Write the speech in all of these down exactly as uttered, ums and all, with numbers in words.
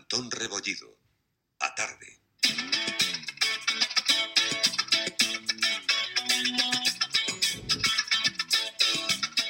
Antón Rebollido. A tarde.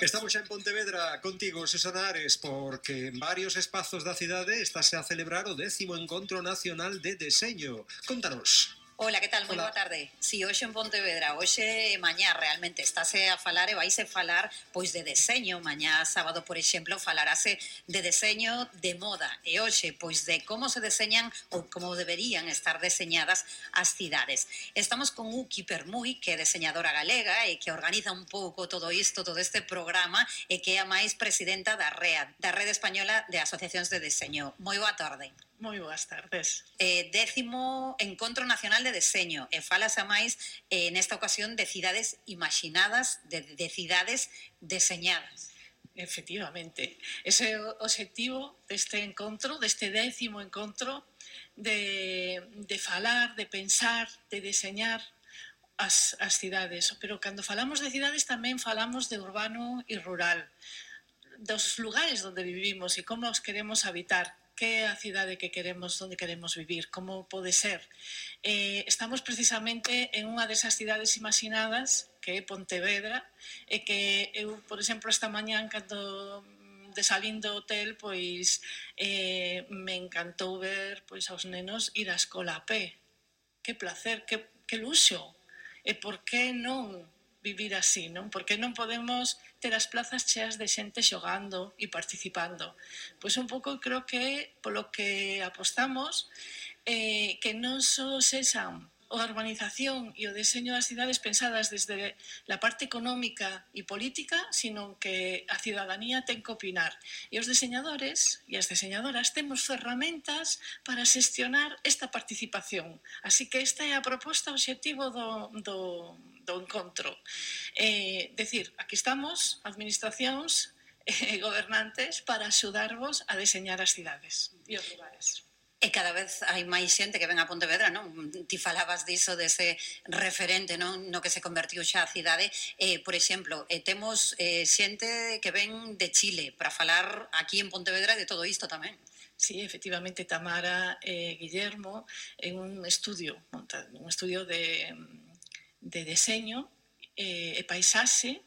Estamos xa en Pontevedra contigo, Susana Ares, porque en varios espazos da cidade estáse a celebrar o décimo Encontro Nacional de Deseño. Contanos. Hola, que tal? Moi boa tarde. Si, hoxe en Pontevedra, hoxe e mañá realmente estáse a falar e vaise falar pois de deseño. Mañá sábado, por exemplo, falarase de deseño de moda e hoxe pois de como se deseñan ou como deberían estar deseñadas as cidades. Estamos con Uki Permui, que é deseñadora galega e que organiza un pouco todo isto, todo este programa e que é a máis presidenta da R E A, da Rede Española de Asociacións de Deseño. Moi boa tarde. Moi boas tardes. Eh, décimo Encontro Nacional de Deseño e falas a máis eh, nesta ocasión de cidades imaginadas, de, de cidades deseñadas. Efectivamente, ese é o obxectivo deste encontro, deste décimo encontro de, de falar, de pensar, de deseñar as, as cidades, pero cando falamos de cidades tamén falamos de urbano e rural, dos lugares onde vivimos e como os queremos habitar, que é a cidade que queremos, onde queremos vivir, como pode ser. Eh, estamos precisamente en unha desas cidades imaginadas, que é Pontevedra, e que eu, por exemplo, esta mañán, cando de salín do hotel, pois eh, me encantou ver pois aos nenos ir á escola a pé. Que placer, que, que luxo. E por que non vivir así, non? Porque non podemos ter as plazas cheas de xente xogando e participando. Pois un pouco creo que polo que apostamos eh, que non só sexan a urbanización e o deseño das cidades pensadas desde a parte económica e política, sino que a cidadanía ten que opinar. E os deseñadores e as deseñadoras temos ferramentas para xestionar esta participación. Así que esta é a proposta, o obxectivo do, do, do encontro. Eh, decir, aquí estamos, administracións e gobernantes, para axudarvos a deseñar as cidades e os lugares. E cada vez hai máis xente que ven a Pontevedra, non? Ti falabas diso, dese referente, non? No que se convertiu xa a cidade. Eh, por exemplo, eh, temos eh, xente que ven de Chile para falar aquí en Pontevedra de todo isto tamén. Sí, efectivamente, Tamara e eh, Guillermo en un estudio, un estudio de, de deseño e eh, paisaxe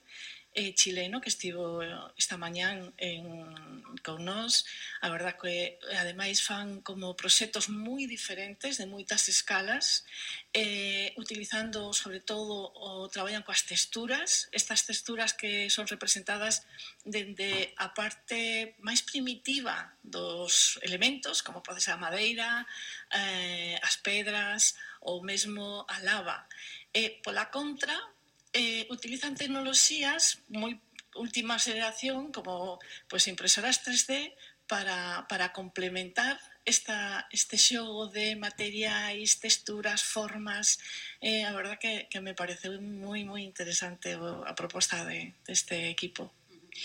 eh, chileno que estivo esta mañán en, con nós. A verdad que ademais fan como proxectos moi diferentes, de moitas escalas, eh, utilizando sobre todo o traballan coas texturas, estas texturas que son representadas dende a parte máis primitiva dos elementos, como pode ser a madeira, eh, as pedras ou mesmo a lava. E pola contra, Eh, utilizan tecnoloxías moi última xeración como pues, impresoras tres D para, para complementar esta, este xogo de materiais, texturas, formas. Eh, a verdad que, que me parece moi, moi interesante a proposta de, deste equipo.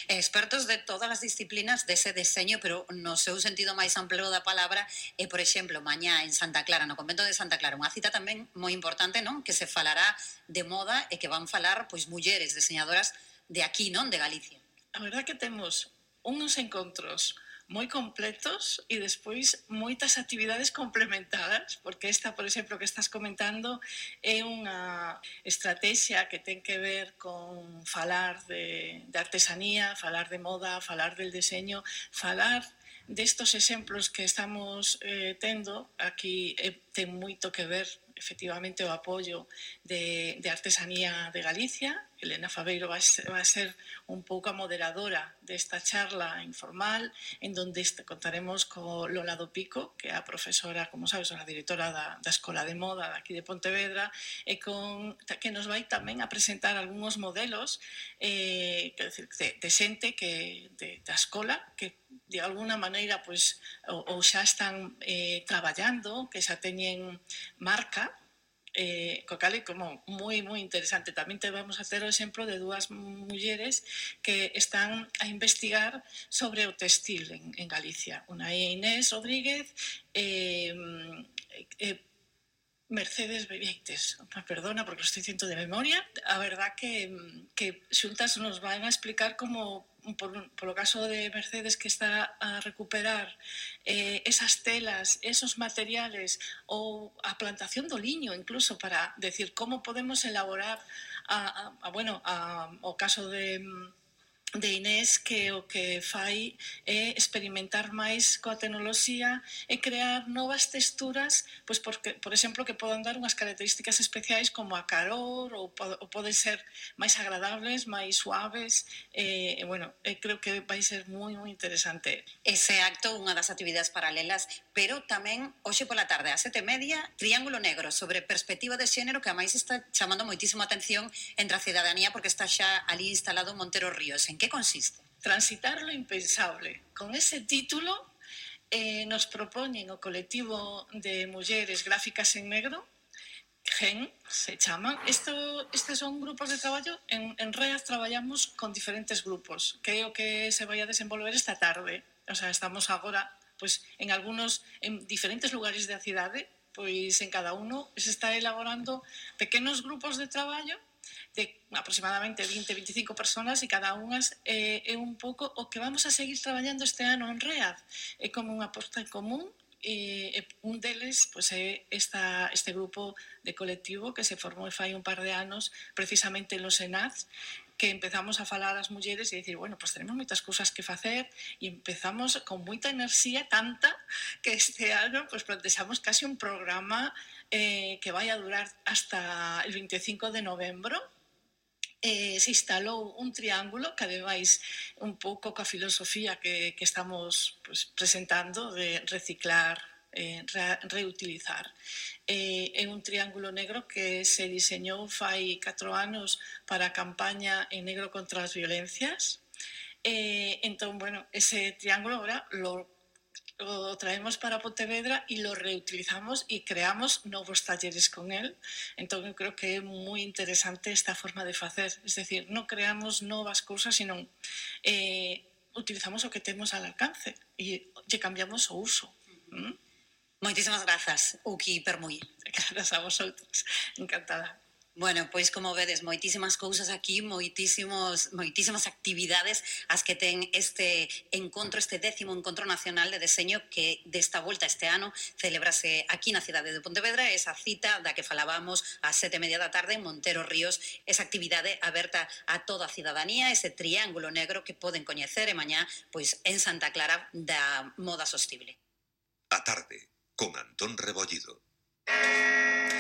Expertos de todas as disciplinas dese deseño, pero no seu sentido máis amplo da palabra, e, por exemplo, mañá en Santa Clara, no convento de Santa Clara, unha cita tamén moi importante, non? Que se falará de moda e que van falar, pois, mulleres deseñadoras de aquí, non? De Galicia. A verdad que temos uns encontros moi completos e despois moitas actividades complementadas, porque esta, por exemplo, que estás comentando é unha estrategia que ten que ver con falar de, de artesanía, falar de moda, falar del deseño, falar destos exemplos que estamos eh, tendo aquí eh, ten moito que ver efectivamente o apoio de, de artesanía de Galicia. Elena Fabeiro vai ser, vai ser un pouco a moderadora desta charla informal, en donde contaremos co Lola do Pico, que é a profesora, como sabes, a directora da, da Escola de Moda daqui de Pontevedra, e con, que nos vai tamén a presentar algúns modelos eh, que, de, de xente que, de, da escola que de alguna maneira pues, ou, ou xa están eh, traballando, que xa teñen marca, eh, co cal é como moi, moi interesante. Tamén te vamos a hacer o exemplo de dúas mulleres que están a investigar sobre o textil en, en Galicia. Unha é Inés Rodríguez, eh, eh, Mercedes Bebeites, perdona porque lo estoy diciendo de memoria, a verdad que, que xuntas nos van a explicar como, por, por lo caso de Mercedes, que está a recuperar eh, esas telas, esos materiales, ou a plantación do liño incluso, para decir como podemos elaborar a, a, a, bueno, a, o caso de de Inés, que o que fai é experimentar máis coa tecnoloxía e crear novas texturas, pois porque, por exemplo, que podan dar unhas características especiais como a calor ou, ou poden ser máis agradables, máis suaves, e, e bueno, e creo que vai ser moi, moi interesante. Ese acto, unha das actividades paralelas, pero tamén hoxe pola tarde, a sete e media, Triángulo Negro, sobre perspectiva de xénero, que a máis está chamando moitísimo a atención entre a cidadanía porque está xa ali instalado Montero Ríos. En que consiste? Transitar lo impensable. Con ese título eh, nos propoñen o colectivo de mulleres gráficas en negro, Gen, se chaman. Esto, estes son grupos de traballo. En, en READ traballamos con diferentes grupos, que é o que se vai a desenvolver esta tarde. O sea, estamos agora pois, en algunos, en diferentes lugares da cidade, pois en cada uno se está elaborando pequenos grupos de traballo de aproximadamente vinte a veinticinco personas e cada unhas eh, é un pouco o que vamos a seguir traballando este ano en READ. É como unha aposta en común e, e un deles pois, é esta, este grupo de colectivo que se formou fai un par de anos precisamente en los Senaz, que empezamos a falar as mulleres e dicir, bueno, pues tenemos moitas cousas que facer e empezamos con moita enerxía, tanta que este ano pues, plantexamos casi un programa eh, que vai a durar hasta el veinticinco de novembro. Eh, se instalou un triángulo que ademais un pouco coa filosofía que, que estamos pues, presentando de reciclar, eh, re, reutilizar. Eh, é un triángulo negro que se diseñou fai catro anos para a campaña en negro contra as violencias. Eh, entón, bueno, ese triángulo ahora lo lo traemos para Pontevedra e lo reutilizamos e creamos novos talleres con él. Entón, eu creo que é moi interesante esta forma de facer. Es decir, non creamos novas cousas, sino eh, utilizamos o que temos al alcance e lle cambiamos o uso. ¿Mm? Moitísimas grazas, Uki Permuy. Grazas a vosotros. Encantada. Bueno, pois como vedes, moitísimas cousas aquí, moitísimos, moitísimas actividades as que ten este encontro, este décimo encontro nacional de deseño que desta volta este ano celebrase aquí na cidade de Pontevedra, esa cita da que falábamos a sete e media da tarde en Montero Ríos, esa actividade aberta a toda a cidadanía, ese triángulo negro que poden coñecer e mañá pois en Santa Clara da moda sostible. A tarde, con Antón Rebollido.